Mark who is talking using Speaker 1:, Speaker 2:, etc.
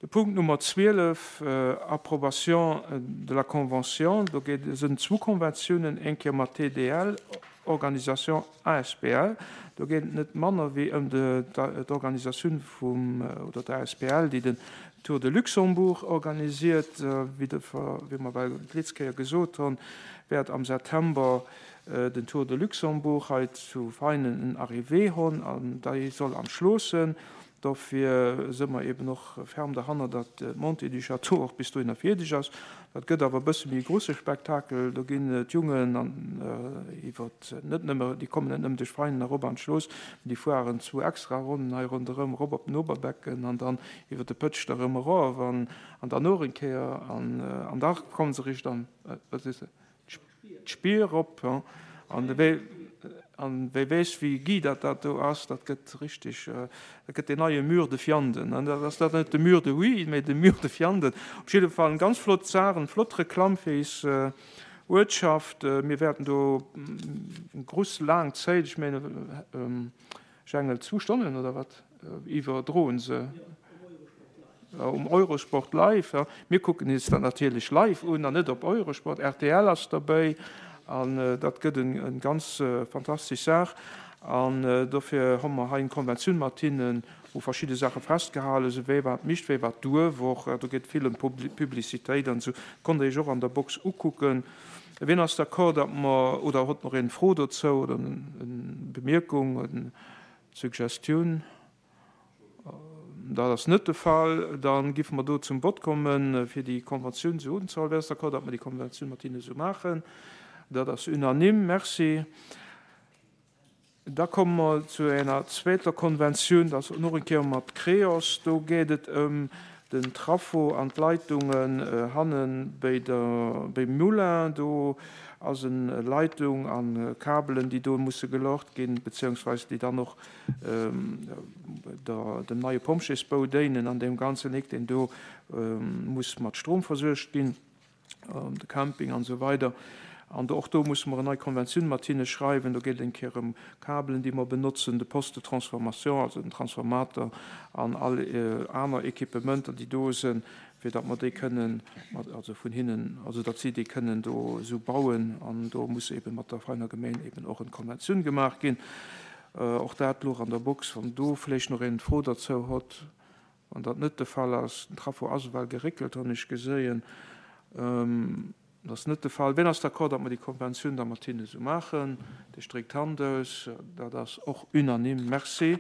Speaker 1: De Punkt Nummer 12, Approbation de la convention, do geet et sënn zwou Konventiounen, eng Kéier mat TDL Organisation asbl, do geet et net manner wéi ëm d'Organisatioun vum, oder d'asbl, déi den Tour de Luxembourg organisiert. Wéi de, wéi mer well d'letz Kéier gesot hunn, wäert am September den Tour de Luxembourg hei zu Veinen en Arrivée hunn an déi soll am Schloossen. Dofir si mer eben och ferm derhanner, datt d'Montée du Château och bis dohinner fierdeg ass. Dat gëtt awer e bësse méi e grouse Spektakel. Do ginn d'Jungen an iwwer net nëmme, déi kommen net nëmmen duerch Veinen erop an d'Schlooss, mee déi fueren zwou extra Ronnen hei ronderëm, erop op den Oberbecken an dann iwwer de Pëtschter erëm erof an dann och eng Kéier an da komme se riicht an, wat sees de? D'Spier erop, an wéi an wie weess wéi guy dat dat do ass, dat gëtt richteg, dat gëtt deen neie Mur de Vianden, dat ass dat net de Mur de Huy, mee de Mur de Vianden. Op jidde Fall eng ganz flott Saach, eng flott Reklamm fir is Uertschaft. Mir wäerten do eng gruss laang Zéit, ech mengen, Jengel, zwou Stonnen oder wat iwwerdroen se um Eurosport live. Mir kucken is dat natierlech live un an net op Eurosport. Rtl ass derbäi an dat gëtt eng ganz fantastesch Saach. An dofir hu mer hei eng Konventioun mat hinnen, wou verschidde Saache festgehale sinn, wéi wat mischt, wéi wat duerf och. Do geet vill ëm Publicitéit an esou. Konnt Der Iech och an der Box ukucken. Wien ass d'accord, datt mer, oder hott nach een eng Fro dozou oder eng Bemierkung, eng Suggestioun? Dat ass net de Fall. Da giffe mer do zum Vott kommen, fir déi Konventioun esou unzehuelen. Wien ass d'accord, datt mer déi Konventioun mat hinne esou maachen? Dat ass unanime. Merci. Da komme mer zu enger zweeter Konventioun, dat ass och eng Kéier mat Creos. Do geet et ëm den Traffo an d'Leitungen hanne béi der, béim Moulin. Do ass en Leitung a Kabelen, déi do musse gelocht ginn, beziehungsweise déi dann och der, dem neie Pompjeesbou déinen an deem ganzen Eck, deen do muss mat Strom versuergt ginn. de Camping an esou weider. An do, och do musse mer en nei Konventioun mat hinne schreiwen. Do geet et eng Kéier ëm Kabelen, déi mer benotzen, de Poste de transformation, also den Transformator an all aner Equipementer, déi do sinn, fir datt mer déi kënnen mat, also vun hinnen, also datt si déi kënnen do esou bauen. An do muss eebe mat der Veiner Gemeng eeben och en Konventioun gemaach ginn. Och dat louch an der Box, wann do vläicht nach een Fro derzou hott. Wann dat net de Fall ass, den Traffo ass ewell geréckelt, hunn ech geséien, dat ass net de Fall. Wien ass d'accord, datt mer déi Konventioun da mat hinne esou maachen? Dir stréckt d'Hand aus. Dat ass och unanime. Merci.